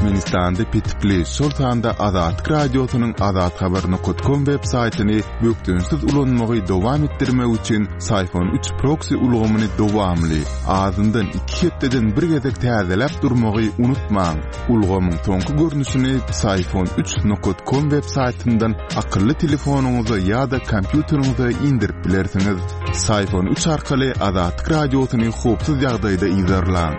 Türkmenistanda petikli, şol sanda Azatlyk Radiosynyň azathabar nokat kom web saýtyny bökdençsiz ulanmagy dowam etdirmek üçin Syfon üç proksi ulgamyny dowamly, azyndan iki hepdeden bir gezek täzeläp durmagy unutmaň. Ulgamyň soňky görnüşini Syfon üç nokat kom web saýtyndan akylly telefonyňyza ýa-da kompýuteriňize indirip bilersiňiz. Syfon üç arkaly Azatlyk Radiosyny howpsuz ýagdaýda yzarlaň.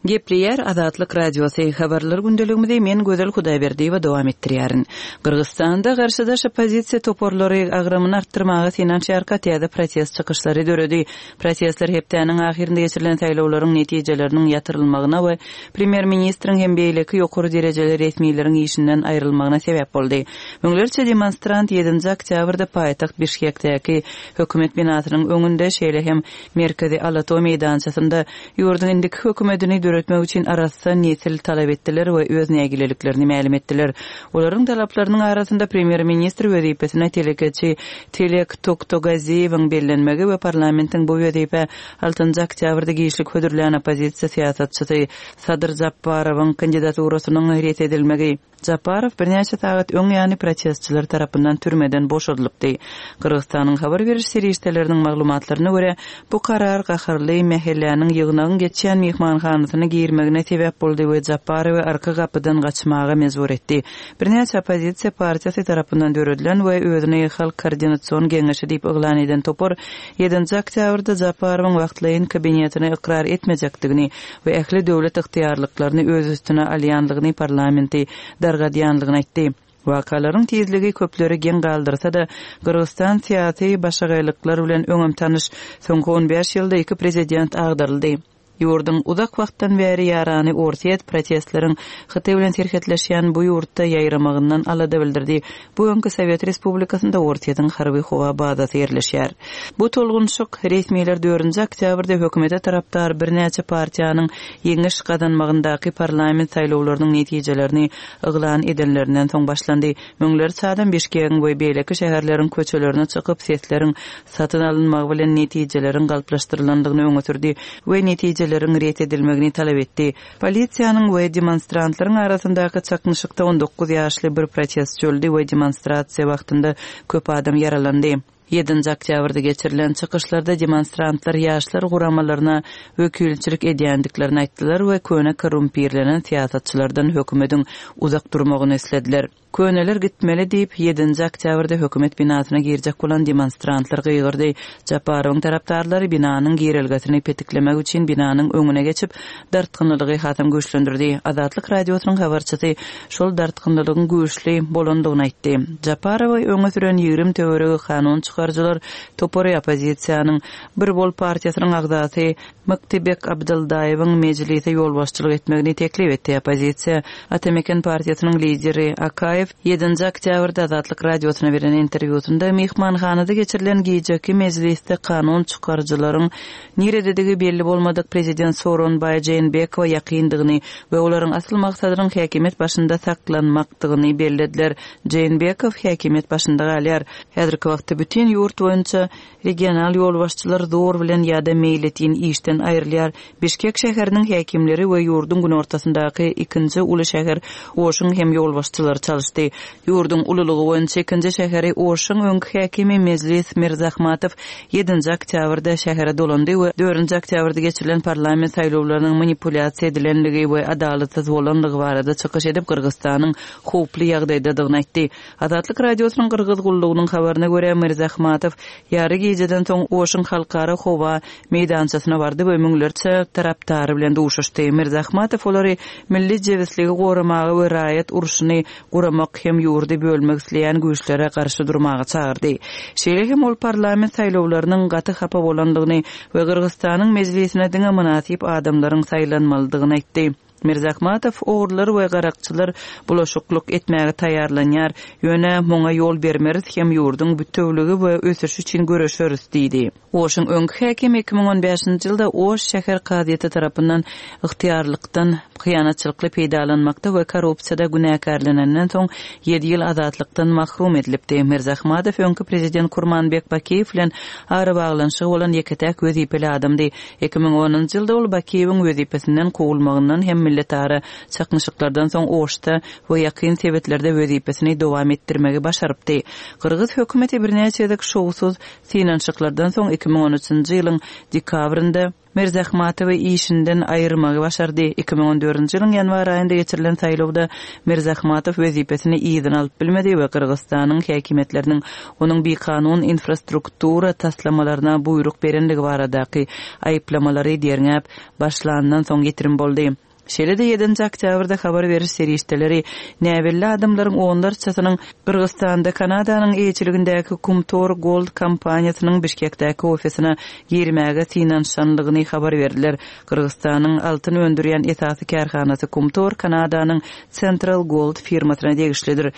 Gepleýär Azatlyk Radiosy, Habarlar gündeligimizi men Gözel Hudaýberdiýewa dowam etdirýärin. Gyrgyzystanda garşydaş oppozisiýa toparlary agramyny artdyrmaga synanyşýarka täze protest çykyşlary döredi. Protestler hepdäniň ahyrynda geçirilen saýlawlaryň netijeleriniň ýatyrylmagyna we premýer-ministriň hem beýleki ýokary derejeli resmileriň işinden aýrylmagyna sebäp boldy. Müňlerçe demonstrant ýedinji oktýabrda paýtagt Bişkekdäki hökümet binasynyň öňünde, şeýle hem merkezi Alato meýdançasynda ýurduň indiki hökümetini döretmek üçin arassa nesil talap etdiler we öz nägileliklerini mälim etdiler. Olaryň talaplarynyň arasynda premýer-ministr wezipesine telekeçi Tilek Toktogaziýewiň bellenmegi we parlamentiň bu wezipä altynjy oktýabrda giçlik hödürlän oppozisiýa syýasatçysy Sadyr Japbarowyň kandidaturasynyň ret edilmegi. Japarow birnäçe sagat öň ýany protestçiler tarapyndan türmeden boşadylypdy. Gyrgyzystanyň habar beriş serişdeleriniň maglumatlaryna görä, bu karar gaharly mähelläniň ýygnagyň geçýän myhmanhanasyna girmegine sebäp boldy we Japarowy arka gapydan gaçmaga mejbur etdi. Birnäçe oppozisiýa partiýasy tarapyndan döredilen we özüni Halk koordinasion geňeşi diýip yglan eden topar ýedinji oktýabrda Japarowyň wagtlaýyn kabinetini ykrar etmejekdigini we ähli döwlet ygtyýarlyklaryny öz üstüne alýanlygyny parlamenti dargadýanlygyny aýtdy. Wakalaryň tizligi köpleri geň galdyrsa-da, Gyrgyzystan syýasy başagaýlyklar bilen öňem tanyş, soňky on bäş ýylda iki prezident agdaryldy. Ýurduň uzak wagtdan bäri ýarany Orsýet protestleriň Hytaý bilen serhetleşýän bu ýurtda ýaýramagyndan alada bildirdi. Bu öňki sowet respublikasynda Orsýetiň harby-howa bazasy ýerleşýär. Bu tolgunyşyk, resmiler dördünji oktýabrda hökümete tarapdar birnäçe partiýanyň ýeňiş gazanmagyndaky parlament saýlawlarynyň netijelerini yglan edenlerinden soň başlandy. Müňlerçe adam Bişkegiň we beýleki şäherleriň köçelerine çykyp, sesleriň satyn alynmagy bilen netijeleriň galplaşdyrylandygyny öňe sürdi we netijeleriň ret edilmegini talap etdi. Polisiýanyň we demonstrantlaryň arasyndaky çaknyşykda 19 ýaşly bir protestçi öldi we demonstrasiýa wagtynda köp adam ýaralandy. Ýedinji oktýabrda geçirilen çykyşlarda demonstrantlar ýaşlar guramalaryna wekilçilik edýändiklerini aýtdylar we köne korrumpirlenen syýasatçylardan hökümediň uzak durmagyny islediler. Köneler gitmeli diýip, ýedinji oktýabrda hökümet binasyna girjek bolan demonstrantlar gygyrdy. Japarowyň tarapdarlary binanyň girelgesini petiklemek üçin binanyň öňüne geçip, dartgynlylygy hasam güýçlendirdi. Azatlyk Radiosynyň habarçysy şol dartgynlylygyň güýçli bolandygyny aýtdy. Japarowy öňe süren 20 töweregi kanun çykaryjylar topary oppozisiýanyň Bir bol partiýasynyň agzasy Myktybek Abdyldaýewiň Mejlise ýolbaşçylyk etmegini teklip etdi. Oppozisiýa Ata-Meken partiýasynyň lideri Akaýew ýedinji oktýabrda Azatlyk Radiosyna beren interwýusynda myhmanhanada geçirilen gijeki mejlisde kanun çykaryjylaryň nirededigi belli bolmadyk prezident Sooronbaý Jeenbekowa ýakyndygyny we olaryň asyl maksadynyň häkimiýet başynda saklanmakdygyny bellediler. Jeenbekow häkimiýet başynda galýar. Häzirki wagtda bütin ýurt boýunça Regional ýolbaşçylar zor bilen ýa-da meýletin işden aýrylýar. Bişkek şäheriniň häkimleri we ýurduň günortasyndaky ikinji uly şäher Oşuň hem ýolbaşçylary çalyşdy. Ýurduň ululygy boýunça ikinji şäheri Oşuň öňki häkimi Mejlis Mirzahmatow ýedinji oktýabrda şähere dolandy we dördünji oktýabrda geçirilen parlament saýlawlarynyň manipulýasiýa edilenligi we adalatsyz bolanlygy barada çykyş edip, Gyrgyzystanyň howply ýagdaýdadygyny aýtdy. Azatlyk Radiosynyň Gyrgyz gullugynyň habaryna görä, Mirzahmatow ýary gijeden soň Oşuň halkara howa meýdançasyna bardy we müňlerçe tarapdary bilen duşuşdy. Mirzahmatow olary milli jebisligi goramaga we raýat urşuny guramak hem ýurdy bölmek isleýän güýçlere garşy durmaga çagyrdy. Şeýle hem ol parlament saýlawlarynyň gaty hapa bolandygyny we Gyrgyzystanyň mejlisine diňe mynasyp adamlaryň saýlanmalydygyny aýtdy. Mirzahmatow ogrular we garakçylar bulaşyklyk etmäge taýýarlanýar, ýöne muňa ýol bermeris hem ýurduň bütewligi we ösüşi üçin göreşeris diýdi. Oşuň öňki häkimi 2015-nji ýylda Oş şäher kazyýeti tarapyndan ygtyýarlykdan Hyýanatçylykly peýdalanmakda we korrupsiýada günäkärlenenden soň ýedi ýyl azatlykdan mahrum edilipdi. Mirzahmadow öňki prezident Kurmanbek Bakiýew bilen arabaglanyşygy bolan ýeke-täk wezipeli adamdy. 2010-njy ýylda ol Bakiýewiň wezipesinden kowulmagyndan hem milletara çaknyşyklardan soň Oşda we ýakyn sebitlerde wezipesini dowam etdirmegi başarypdy. Gyrgyz hökümeti birnäçe gezek şowsuz synanyşyklardan soň 2013-nji ýylyň dekabrynda Mirzahmatowy işinden aýyrmagy başardy. 2014-nji ýylyň ýanwar aýynda geçirilen saýlawda Mirzahmatow wezipesini yzyna alyp bilmedi we Gyrgyzystanyň häkimiýetleriniň onuň bikanun infrastruktura taslamalaryna buýruk berendigi baradaky aýyplamalary derňäp başlandan soň ýitirim boldy. Şeýle-de ýedinji oktýabrda habar beriş serişdeleri näbelli adamlaryň onlarçasynyň Gyrgyzystanda Kanadanyň eýeçiligindäki Kumtor Gold kompaniýasynyň Bişkekdäki ofisine girmäge synanyşanlygyny habar berdiler. Gyrgyzystanyň altyn öndürýän esasy kärhanasy Kumtor Kanadanyň Central Gold firmasyna degişlidir.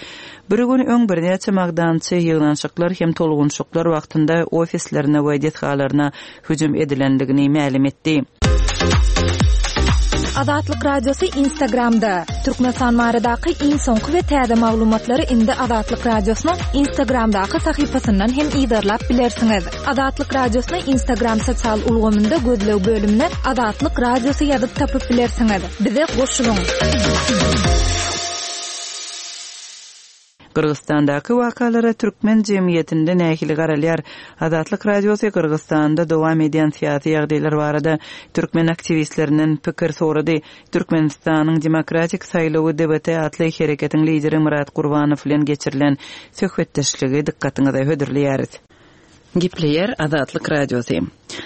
Bir gün öň birnäçe magdançy ýygnanyşyklar hem tolgunyşyklar wagtynda ofislerine we desgalaryna hüjüm edilendigini mälim etdi. Azatlyk Radiosy Instagramda, Türkmenistan baradaky iň soňky we täze maglumatlary indi Azatlyk Radiosynyň Instagramdaky sahypasyndan hem yzarlap bilersiňiz. Azatlyk Radiosyny Instagram sosial ulgamynda gözleg bölümine Azatlyk Radiosy ýazyp tapyp bilersiňiz. Bize goşulyň! Gyrgyzystandaky wakalara türkmen jemgyýetinde nähili garalýar? Azatlyk Radiosy Gyrgyzystanda dowam edýän syýasy ýagdaýlar barada türkmen aktiwistlerinden pikir sorady. Türkmenistanyň Demokratik saýlawy DBT atly hereketiň lideri Myrat Gurbanow bilen geçirilen söhbetdeşligi dykgatyňyza hödürleýäris. Gepleýär Azatlyk Radiosy.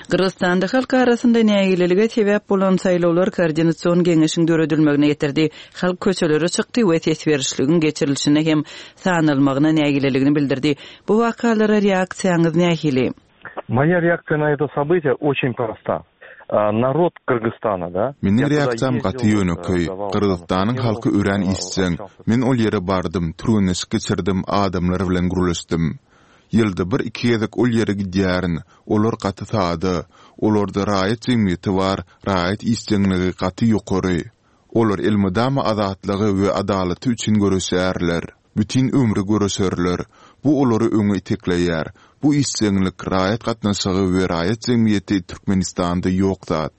Gyrgyzystanda halk arasynda nägilelige sebäp bolan saýlawlar koordinasion geňeşiň döredilmegine getirdi. Halk köçelere çykdy we ses berişligiň geçirilişine hem sanalmagyna nägileligini bildirdi. Bu wakalara reaksiýaňyz nähili? Moýa reaksiýa na eto sobytiýe oçen prosta. Narod Kyrgyzstana da. Meniň reaksiýam gaty ýönekeý. Gyrgyzystanyň halky örän işjeň. Men ol ýere bardym, türgenleşik geçirdim, adamlar bilen gürleşdim. Ýylda bir-iki gezek ol ýere gidýärin. Olar gaty sada. Olarda raýat jemgyýeti bar, raýat işjeňligi gaty ýokary. Olar elmydama azatlygy we adalaty üçin göreşýärler. Bütin ömri göreşerler. Bu olary öňe itekleýär. Bu işjeňlik, raýat gatnaşygy we raýat jemgyýeti Türkmenistanda ýok zat.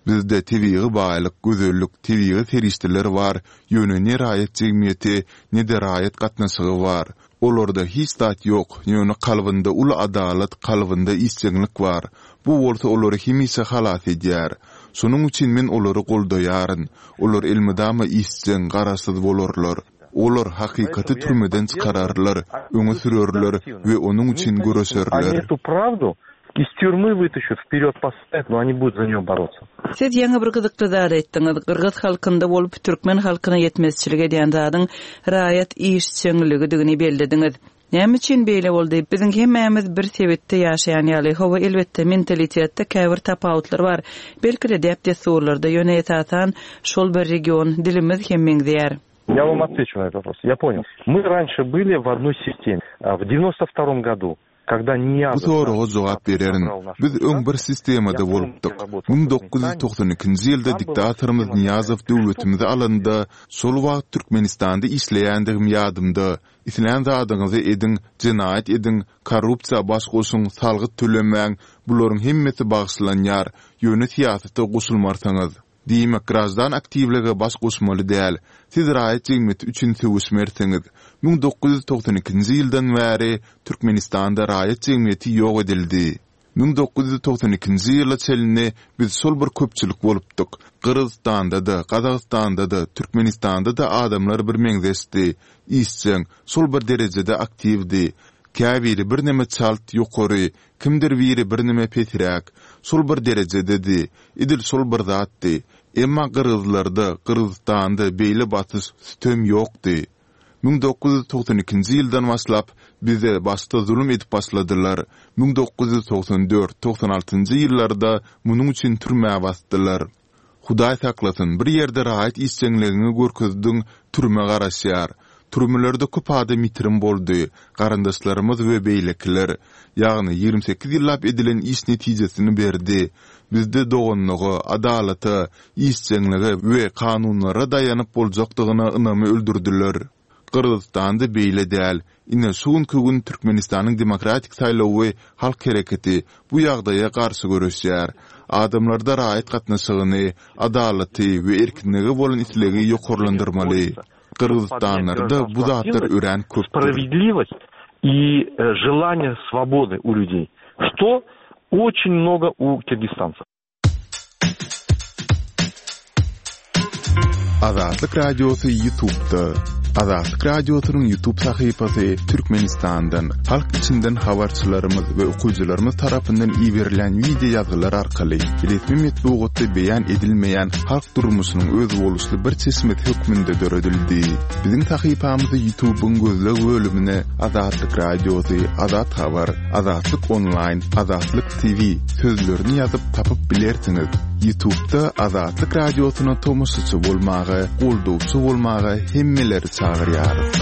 Bizde tebigy baýlyk, gözellik, tebigy serişdeler bar, ýöne ne raýat jemgyýeti, ne-de raýat gatnaşygy bar. Olarda hiç zat ýok, ýöne kalbynda uly adalat, kalbynda işjeňlik bar. Bu bolsa olary hemişe halas edýär. Şonuň üçin men olary goldaýaryn. Olar elmydama işjeň, garaşsyz bolarlar. Olar hakykaty türmeden çykararlar, öňe sürerler we onuň üçin göreşerler. Iz týurmy wytaşat, wperýod postavýat, no oni budut za neýo borotsya. Siz ýaňy bir gyzykly zat aýtdyňyz, gyrgyz halkynda bolup türkmen halkyna ýetmezçilik edýän zadyň raýat işjeňligidigini bellediňiz. Näme üçin beýle boldy? Biziň hemmämiz bir sebitde ýaşaýan ýaly. Hawa, elbetde, mentalitetde käbir tapawutlar bar. Belki-de däp-dessurlarda, ýöne esasan şol bir region, dilimiz hem meňzeýär. Я вам отвечу на этот вопрос. Я понял. Мы раньше были в одной системе. В девяносто втором году Bu soraga jogap bererin. Biz öň bir sistemada bolupdyk. 1992-nji ýylda diktatorymyz Nyýazow döwletimizi alanda, şol wagt Türkmenistanda işleýändigim ýadymda. Islän zadyňyzy ediň, jenaýat ediň, korrupsiýa baş goşuň, salgyt tölemäň, bularyň hemmesi bagyşlanýar, ýöne syýasata goşulmarsyňyz. Diýmek, graždan aktiwlige baş goşmaly däl. Siz raýat jemgyýeti üçin söweşmersiňiz. 1992-nji ýyldan bäri Türkmenistanda raýat jemgyýeti ýok edildi. 1992-nji ýyla çenli biz şol bir köpçülik bolupdyk. Gyrgyzystanda-da, Gazagystanda-da, Türkmenistanda-da adamlar birmeňzeşdi, işjeň, şol bir derejede aktiwdi. Käbiri birneme çalt, ýokary, kimdir biri birneme pesräk. Şol bir derejededi. Edil şol bir zatdy. Emma gyrgyzlarda, Gyrgyzystanda beýle basyş, sütem ýokdy. 1992-nji ýyldan başlap, bize başda zulum edip başladylar. 1994, 96-njy ýyllarda munuň üçin türmä basdylar. Hudaý saklasyn, bir ýerde raýat işjeňligiňi görkezdiň, türme garaşýar. Türmelerde köp adam ýitirim boldy, garyndaşlarymyz we beýlekiler. Ýagny, 28 ýyllap edilen iş netijesini berdi. Bizde doganlyga, adalata, işjeňlige we kanunlara daýanyp boljakdygyna ynamy öldürdiler. Gyrgyzystanda beýle däl. Ine, şu günki gün Türkmenistanyň demokratik saýlawy halk hereketi bu ýagdaýa garşy göreşýär. Adamlarda raýat gatnaşygyny, adalaty we erkinlige bolan islegi ýokarlandyrmaly. Gyrgyzystanlarda bu zatlar örän köpdür. Spravedlivost i želanje svobody u ľudej, što oçin mnogo u kirgistancev. Azatlyk Radiosy Ýutubda. Azatlyk Radiosynyň Ýutub sahypasy Türkmenistandan, halk içinden habarçylarymyz we okyjylarymyz tarapyndan iberilýän wideo ýazgylar arkaly resmi metbugatda beýan edilmeýän halk durmuşynyň özboluşly bir çeşmesi hökmünde döredildi. Biziň sahypamyzy Ýutubyň gözleg bölümine Azatlyk Radiosy, Azat Habar, Azatlyk Onlaýn, Azatlyk TV sözlerini ýazyp tapyp bilersiňiz. Ýutubda Azatlyk Radiosyna tomaşaçy bolmaga, goldawçy bolmaga hemmeleri çagyrýarys.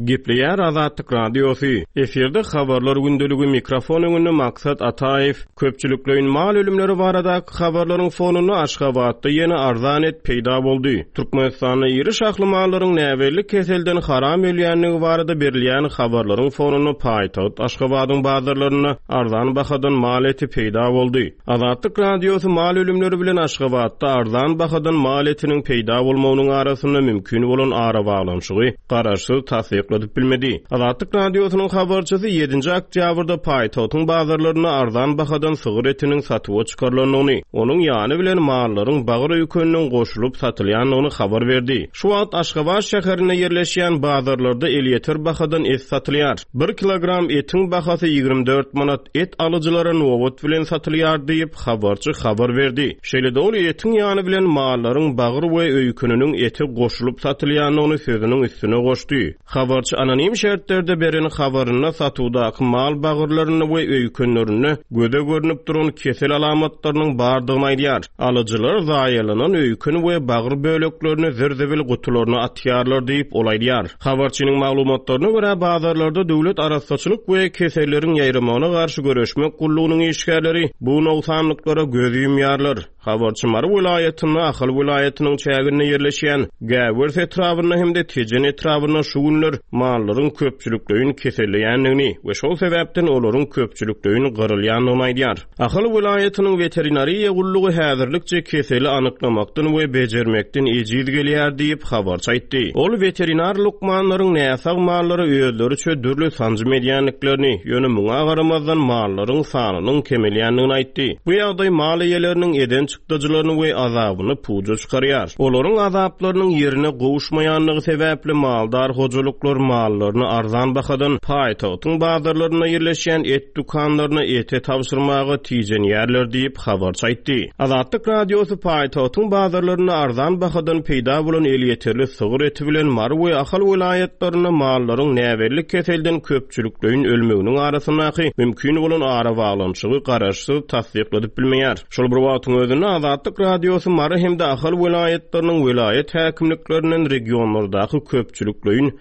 Gepleýär Azatlyk Radiosy, Efirde Habarlar gündeligi, mikrofon öňünde Maksat Ataýew. Köpçülikleýin mal ölümleri baradaky habarlaryň fonunda Aşgabatda ýene arzan et peýda boldy. Türkmenistanda iri şahly mallaryň näbelli keselden haram ölýändigi barada berilýän habarlaryň fonunda paýtagt Aşgabadyň bazarlarynda arzan bahadan mal eti peýda boldy. Azatlyk Radiosy mal ölümleri bilen Aşgabatda arzan bahadan mal etiniň peýda bolmagynyň arasynda mümkin bolan arabaglanyşygy garaşsyz tassykladyp bilmedi. Azatlyk Radiosynyň habarçysy ýedinji oktýabrda paýtagtyň bazarlarynda arzan bahadan sygyr etiniň satuwa çykarylandygyny, onuň ýany bilen mallaryň bagyr öýkeniniň goşulyp satylýandygyny habar berdi. Şu wagt Aşgabat şäherinde ýerleşýän bazarlarda elýeter bahadan et satylýar. Bir kilogram etiň bahasy 24 manat, et alyjylara nobat bilen satylýar diýip, habarçy habar berdi. Şeýle-de ol etiň ýany bilen mallaryň bagyr we öýkeniniň eti goşulyp satylýandygyny sözüniň üstüne goşdy. Habarçy anonim şertlerde beren habarynda satuwdaky mal bagyrlarynda we öýkenlerinde göze görnüp duran kesel alamatlarynyň bardygyny aýdýar. Alyjylar zaýalanan öýken we bagyr böleklerini zir-zibil gutularyna atýarlar diýip, ol aýdýar. Habarçynyň maglumatlaryna görä, bazarlarda döwlet arassaçylyk we keselleriň ýaýramagyna garşy göreşmek gullugynyň işgärleri bu nogsanlyklara göz ýumýarlar. Habarçy Mary welaýatynda, Ahal welaýatynyň çäginde ýerleşýän Gäwers etrabynda hem-de Tejen etrabynda şu günler mallaryň köpçülikleýin keselleýändigini we şol sebäpden olaryň köpçülikleýin gyrylýandygyny aýdýar. Ahal welaýatynyň weterinariýa gullugy häzirlikçe keseli anyklamakdan we bejermekden ejiz gelýär diýip, habarçy aýtdy. Ol weterinar lukmanlaryň näsag mallara özleriçe dürli sanjym edýändiklerini, ýöne muňa garamazdan mallaryň sanynyň kemelýändigini aýtdy. Bu ýagdaý mal eýeleriniň eden çykdajylaryny we azabyny puja çykarýar. Olaryň azaplarynyň ýerine gowuşmaýandygy sebäpli maldar hojalyklar mallaryny arzan bahadan paýtagtyň bazarlarynda ýerleşýän et dükanlaryna ete tabşyrmaga tijenýärler diýip, habarçy aýtdy. Azatlyk Radiosy paýtagtyň bazarlarynda arzan bahadan peýda bolan elýeterli sygyr eti bilen Mary we Ahal welaýatlarynda mallaryň näbelli keselden köpçülikleýin ölmeginiň arasyndaky mümkin bolan arabaglanyşygy garaşsyz tassykladyp bilmeýär. Şol bir wagtyň özünde, Azatlyk Radiosy Mary hem-de Ahal welaýatlarynyň welaýat häkimliklerinden regionlardaky köpçülikleýin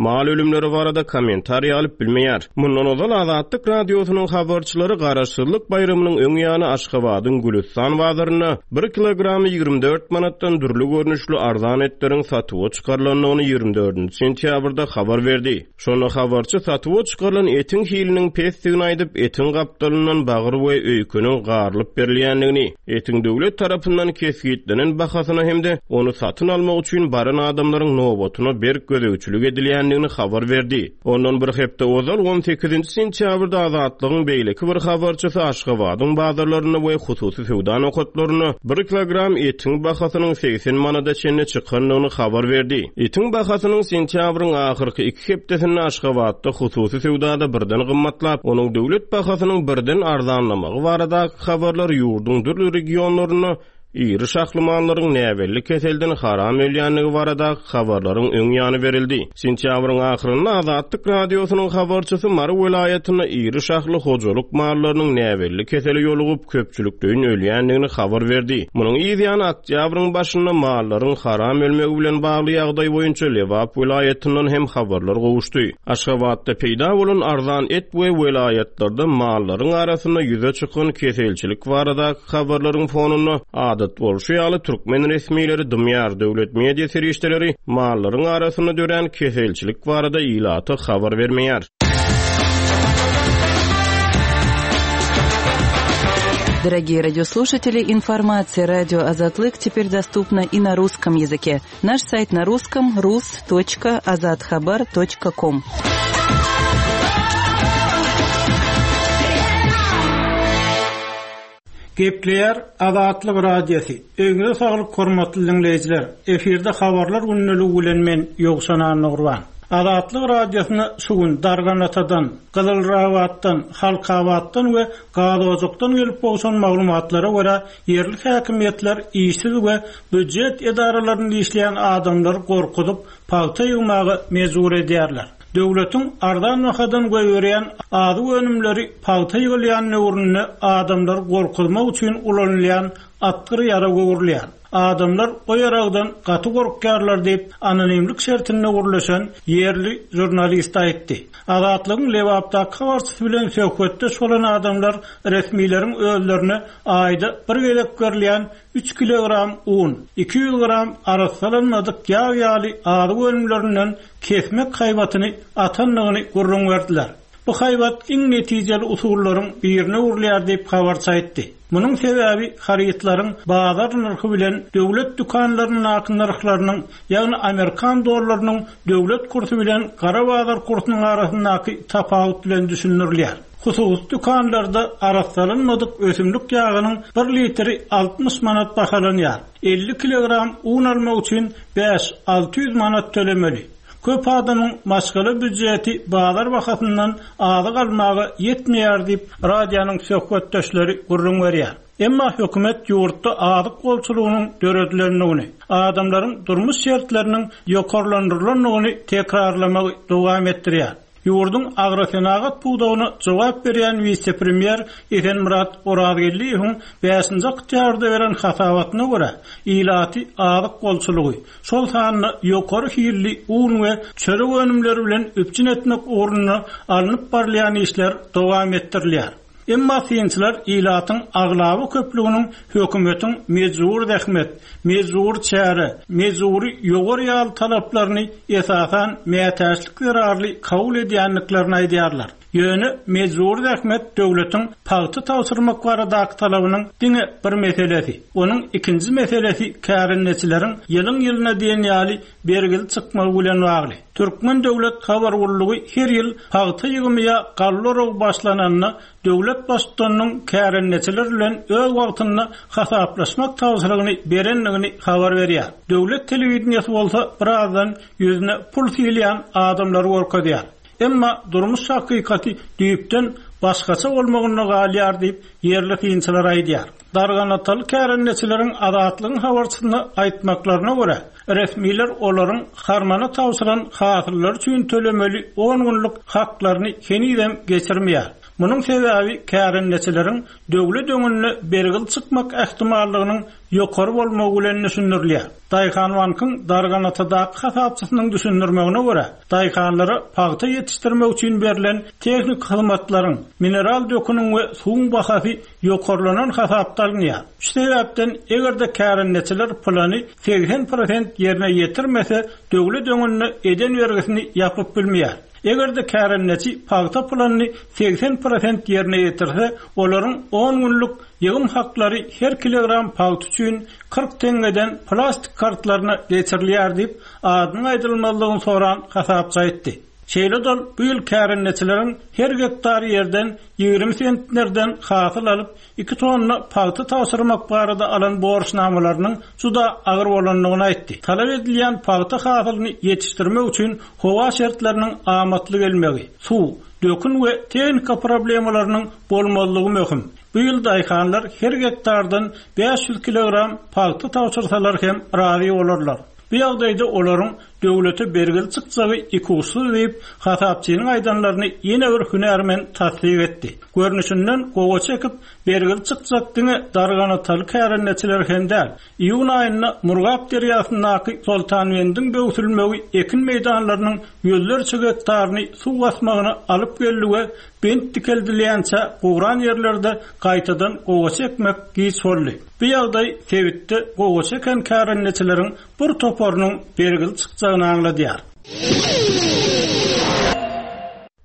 mal ölümleri barada kommentariý alyp bilmeýär. Mundan ozal Azatlyk Radiosynyň habarçylary Garaşsyzlyk baýramynyň öň ýany Aşgabadyň Gülüstan bazarynda bir kilogramy 24 manatdan dürli görnüşli arzan etleriň satuwa çykarylandygyny 24-nji sentýabrda habar berdi. Şonda habarçy satuwa çykarylan etiň hiliniň pesdigini aýdyp, etiň gapdalyndan bagyr we öýkeniň garylyp berilýändigini, etiň döwlet tarapyndan kesgitlenen bahasyna hem-de ony satyn almak üçin baran adamlaryň nobatyna berk gözegçilik edilýändigini habar berdi. Ondan bir hepde ozal, on sekizinji sentýabrda Azatlygyň beýleki bir habarçysy Aşgabadyň bazarlarynda we hususy söwda nokatlarynda bir kilogram etiň bahasynyň 80 manada çenli çykandygyny habar berdi. Etiň bahasynyň sentýabryň ahyrky iki hepdesinde Aşgabatda hususy söwdada birden gymmatlap, onuň döwlet bahasynyň birden arzanlamagy baradaky habarlar ýurduň dürli regionlarynda. Iri şahly mallaryň näbelli keselden haram ölýändigi baradaky habarlaryň öň ýany berildi. Sentýabryň ahyrynda Azatlyk Radiosynyň habarçysy Mary welaýatynda iri şahly hojalyk mallarynyň näbelli kesele ýolugyp, köpçülikleýin ölýändigini habar berdi. Munuň yz ýany oktýabryň başynda mallaryň haram ölmegi bilen bagly ýagdaý boýunça Lebap welaýatyndan hem habarlar gowuşdy. Aşgabatda peýda bolan arzan et we welaýatlarda mallaryň arasynda ýüze çykan keselçilik baradaky habarlaryň fonunda, adat bolşy ýaly, türkmen resmileri dymýar, döwlet media serişdeleri mallaryň arasynda dörän keselçilik barada ilata habar bermeýär. Дорогие радиослушатели, информация радио Азатлык теперь доступна и на русском языке. Наш сайт на русском rus.azathabar.com. Gepleýär Azatlyk Radiosy. Öýüňize saglyk hormatly diňleýjiler. Efirde habarlar gündeligi bilen men Ýowşan Annagurban. Azatlyk Radiosyna şu gün Darganatadan, Gyzylrabatdan, Halkabatdan we Gazojakdan gelip gowşan maglumatlara görä, ýerli häkimiýetler işsiz we býujet edaralarynda işleýän adamlary gorkuzyp, pagta ýygmaga mejbur edýärler. Döwletiň arzan bahadan goýberýän azyk önümleri pagta ýygylýan döwründe adamlary gorkuzmak üçin ulanylýan atgyr ýarag öwrülýär. Adamlar o ýaragdan gaty gorkýarlar diýip, anonimlik şertinde gürleşen ýerli žurnalist aýtdy. Azatlygyň Lebapdaky habarçysy bilen söhbetdeş bolan adamlar resmileriň özlerine aýda bir gezek berilýän üç kilogram un, 200 gram arassalanmadyk ýag ýaly azyk önümlerinden kesmek haýbatyny atandygyny gürrüň berdiler. Bu haýbat iň netijeli usullaryň birine öwrülýär diýip, habarçy aýtdy. Munuň sebäbi harytlaryň bazar nyrhy bilen döwlet dükanlaryndaky nyrhlarynyň, ýagny amerikan dollarynyň döwlet kursy bilen gara bazar kursunyň arasyndaky tapawut bilen düşündirilýär. Hususy dükanlarda arassalanmadyk ösümlik ýagynyň bir litri 60 manat bahalanýar. 50 kilogram un almak üçin 5-600 manat tölemeli. Köp adamyň maşgala býujeti bazar bahasyndan azyk almaga ýetmeýär diýip, radionyň söhbetdeşleri gürrüň berýär. Emma hökümet ýurtda azyk bolçulygynyň döredilendigini, adamlaryň durmuş şertleriniň ýokarlandyrylandygyny tekrarlamagy dowam etdirýär. Ýurduň agrosenagat pudagyna jogap berýän wise-premýer Esenmyrat Orazgeldiýewiň bäşinji oktýabrda beren hasabatyna görä, ilaty azyk bolçulygy, şol sanda ýokary hilli un we çörek önümleri bilen üpjün etmek ugrunda alnyp barylýan işler dowam etdirilýär. Emma synçylar ilatyň aglaba köplüginiň hökümetiň mejbury zähmet, mejbury çäre, mejbury ýowar ýaly talaplaryny esasan mätäçlik zerarly kabul edýändiklerini aýdýarlar. Ýöne mejbury zähmet döwletiň pagta tabşyrmak baradaky talabynyň diňe bir meselesi. Onuň ikinji meselesi kärendeçileriň ýylyň-ýylyna diýen ýaly bergili çykmagy bilen bagly. Türkmen döwlet habar gullugy her ýyl pagta ýygymy ýa galla oragy başlananda döwlet baştutanynyň kärendeçiler bilen öz wagtynda hasaplaşmak tabşyrygyny berendigini habar berýär. Döwlet telewideniýesi bolsa birazdan ýüzüne pul sylýan adamlary görkezýär. Emma durmuş hakykaty düýpden başgaça bolmagynda galýar diýip, ýerli synçylar aýdýar. Darganataly kärendeçileriň Azatlygyň habarçysyna aýtmaklaryna görä, resmiler olaryň harmana tabşyran hasyllary üçin tölemeli on günlük haklaryny henizem geçirmeýär. Munuň sebäbi kärendeçileriň döwlet öňünde bergili çykmak ähtimallygynyň ýokary bolmagy bilen düşündirilýär. Daýhanbankyň Darganatadaky hasapçysynyň düşündirmegine görä, daýhanlara pagta ýetişdirmek üçin berlen tehniki hyzmatlaryň, mineral döküniň we suwuň bahasy ýokarlanan hasapda alynýar. Şu sebäpden, eger-de kärendeçiler plany 80 prosent ýerine ýetirmese, döwlet öňünde eden bergisini ýapyp bilmeýär. Eger-de kärendeçi pagta planyny 80 prosent ýerine ýetirse, olaryň on günlük ýygym haklary her kilogram pagta üçin 40 teňňeden plastik kartlaryna geçirilýär diýip, adynyň aýdylmazlygyny soran hasapçy aýtdy. Şeýle-de ol bu ýyl kärendeçileriň her gektar ýerden 20 sentnerden hasyl alyp, iki tonna pagta tabşyrmak barada alan borçnamalarynyň juda agyr bolandygyny aýtdy. Talap edilýän pagta hasylyny ýetişdirmek üçin howa şertleriniň amatly gelmegi, suw, Dökün we tehnika problemalarynyň bolmazlygy möhüm. Bu ýyl daýhanlar her gektardan 500 kilogram pagta tabşyrsalar hem razy bolarlar. Bu ýagdaýda olaryň döwlete bergili çykjagy ikuçsuz diýip, hasapçynyň aýdanlaryny ýene bir hünärmen tassyk etdi. Görnüşinden, gowaça ekip, bergili çykjak diňe darganataly kärendeçiler hem däl. Iýun aýynda Murgap derýasyndaky Soltanbendiň böwsülmegi ekin meýdanlarynyň ýüzlerçe gektaryny suw basmagyna alyp geldi we bent dikeldilýänçä guran ýerlerde gaýtadan gowaça ekmek giç boldy. Bu ýagdaý sebitde gowaça eken kärendeçileriň bir toparynyň bergili çykjagyny aňladýar.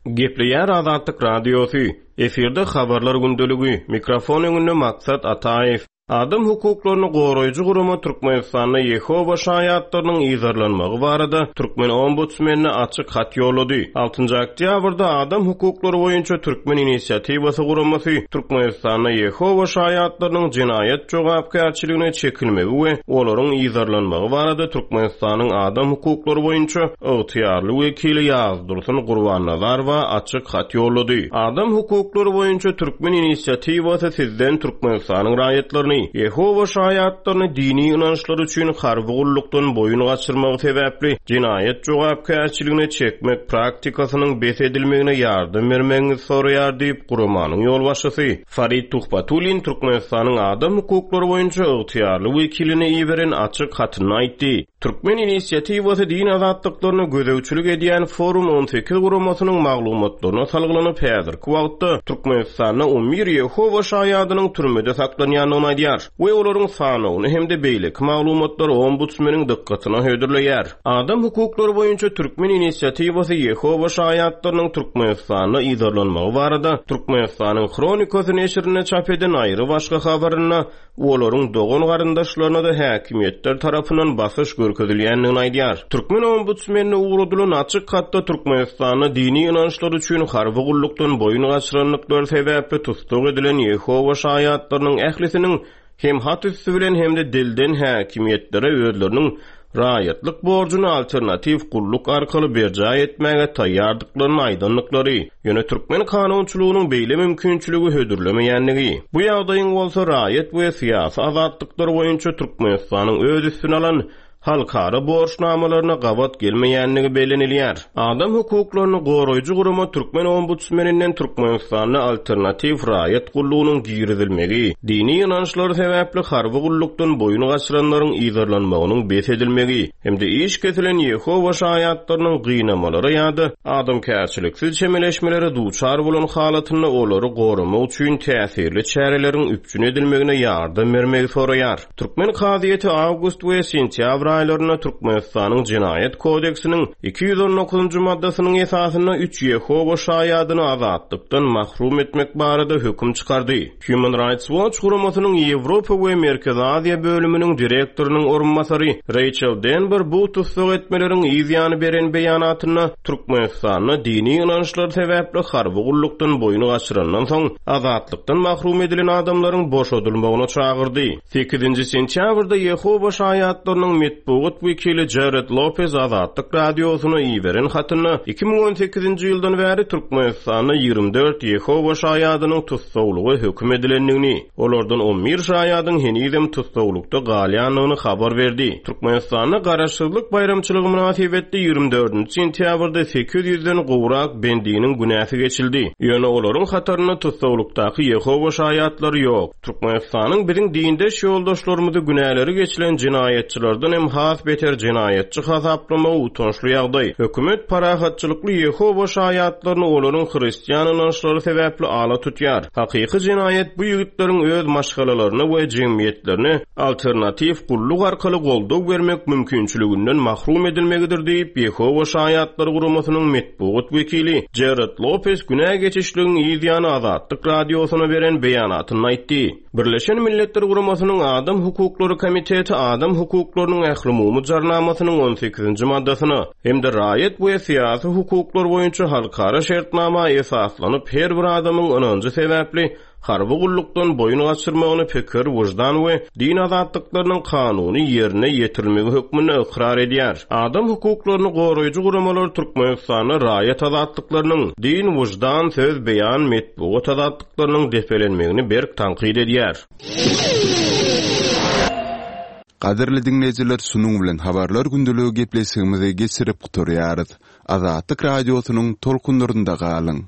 Gepleýär Azatlyk Radiosy, Efirde Habarlar gündeligi, mikrofon öňünde Maksat Ataýew. Adam hukuklaryny goraýjy gurama Türkmenistanda Ýehowa şaýatlarynyň yzarlanmagy barada türkmen ombudsmenine açyk hat ýollady. Altynjy oktýabrda Adam hukuklary boýunça Türkmen inisiatiwasy guramasy Türkmenistanda Ýehowa şaýatlarynyň jenaýat jogapkärçiligine çekilmegi we olaryň yzarlanmagy barada Türkmenistanyň adam hukuklary boýunça ygtyýarly wekili Ýazdursun Gurbannazarowa açyk hat ýollady. Adam hukuklary boýunça Türkmen inisiatiwasy sizden Türkmenistanyň raýatlaryny, Ýehowa şaýatlaryny dini ynançlary üçin harby gullukdan boýun gaçyrmagy sebäpli jenaýat jogapkärçiligine çekmek praktikasynyň bes edilmegine ýardam bermegiňizi soraýar diýip, guramanyň ýolbaşçysy Farid Tuhbatullin Türkmenistanyň adam hukuklary boýunça ygtyýarly wekiline iberen açyk hatynda aýtdy. Türkmen inisiatiwasy din azatlyklaryna gözegçilik edýän Forum 18 guramasynyň maglumatlaryna salgylanyp, häzirki wagtda Türkmenistanda 11 Ýehowa şaýadynyň türmede saklanýandygyny aýdýar we olaryň sanawyny hem-de beýleki maglumatlary ombudsmeniň dykgatyna hödürleýär. Adam hukuklary boýunça Türkmen inisiatiwasy Ýehowa şaýatlarynyň Türkmenistanda yzarlanmagy barada Türkmenistanyň Hronikasy neşirinde çap eden aýry-başga habarynda olaryň dogan-garyndaşlaryna-da häkimiýetler tarapyndan basyş görkezilýändigini aýdýar. Türkmen ombudsmenine ugradylan açyk hatda Türkmenistanda dini ynançlary üçin harby gullukdan boýun gaçyrandyklary sebäpli tussag edilen Ýehowa şaýatlarynyň ählisiniň hem hat üsti bilen hem-de dilden häkimiýetlere özleriniň raýatlyk borjuny alternatiw gulluk arkaly berjaý etmäge taýýardyklaryny aýdandyklary, ýöne türkmen kanunçylygynyň beýle mümkinçiligi hödürlemeýändigi, bu ýagdaýyň bolsa raýat we syýasy azatlyklar boýunça Türkmenistanyň öz üstüne alan halkara borçnamalaryna gabat gelmeýändigi bellenilýär. Adam hukuklaryny goraýjy gurama türkmen ombudsmeninden Türkmenistanda alternatiw raýat gullugynyň girizilmegi, dini ynançlary sebäpli harby gullukdan boýun gaçyranlaryň yzarlanmagynyň bes edilmegi hem-de iş kesilen Ýehowa şaýatlarynyň gynamalara ýa-da adamkärçiliksiz çemeleşmelere duçar bolan halatynda olary goramak üçin täsirli çäreleriň üpjün edilmegine ýardam bermegi soraýar. Türkmen kazyýeti awgust we sentýabr aýlarynda Türkmenistanyň Jenaýat kodeksiniň 219-njy maddasynyň esasynda üç Ýehowa şaýadyny azatlykdan mahrum etmek barada höküm çykardy. Human Rights Watch guramasynyň Ýewropa we Merkezi Aziýa bölüminiň direktorynyň orunbasary Reýçel Denber bu tussag etmeleriň yz ýany beren beýanatynda Türkmenistanda dini ynançlary sebäpli harby gullukdan boýun gaçyrandan soň azatlykdan mahrum edilen adamlaryň boşadylmagyna çagyrdy. Sekizinji sentýabrda Ýehowa şaýatlarynyň metbugat wekili Jared Lopez Azatlyk Radiosyna iberen hatynda 2018-nji ýyldan bäri Türkmenistanda 24 Ýehowa şaýadynyň tussaglyga höküm edilendigini, olardan on bir şaýadyň henizem tussaglykda galýandygyny habar berdi. Türkmenistanda Garaşsyzlyk baýramçylygy mynasybetli 24-nji sentýabrda 800-den gowrak bendiniň günäsi geçildi. Ýöne olaryň hatarynda tussaglykdaky Ýehowa şaýatlary ýok. Türkmenistanyň biziň dindeş ýoldaşlarymyzy günäleri geçilen jenaýatçylardan hem has beter jenaýatçy hasaplamagy utançly ýagdaý. Hökümet parahatçylykly Ýehowa şaýatlaryny olaryň hristian ynançlary sebäpli ala tutýar. Hakyky jenaýat bu ýigitleriň öz maşgalalaryna we jemgyýetlerine alternatiw gulluk arkaly goldaw bermek mümkinçiliginden mahrum edilmegidir diýip, Ýehowa şaýatlary guramasynyň metbugat wekili Jared Lopes günä geçişligiň yz ýany Azatlyk Radiosyna beren beýanatynda aýtdy. Birleşen Milletler Guramasynyň Adam hukuklary komiteti adam hukuklarynyň ählumumy jarnamasynyň on sekizinji maddasyna hem-de raýat we syýasy hukuklar boýunça halkara şertnama esaslanyp her bir adamyň ynanjy sebäpli. harby gullukdan boýun gaçyrmagyny pikir, wyždan we din azatlyklarynyň kanuny ýerine ýetirilmegi hökmünde ykrar edýär. Adam hukuklaryny goraýjy guramalar Türkmenistanda raýat azatlyklarynyň, din, wyždan, söz, beýan, metbugat azatlyklarynyň depelenmegini berk tankyt edýär. Gadyrly diňleýjiler şunuň bilen Habarlar gündeligi gepleşigimizi geçirip gutarýarys. Azatlyk Radiosynyň tolkunlarynda galyň!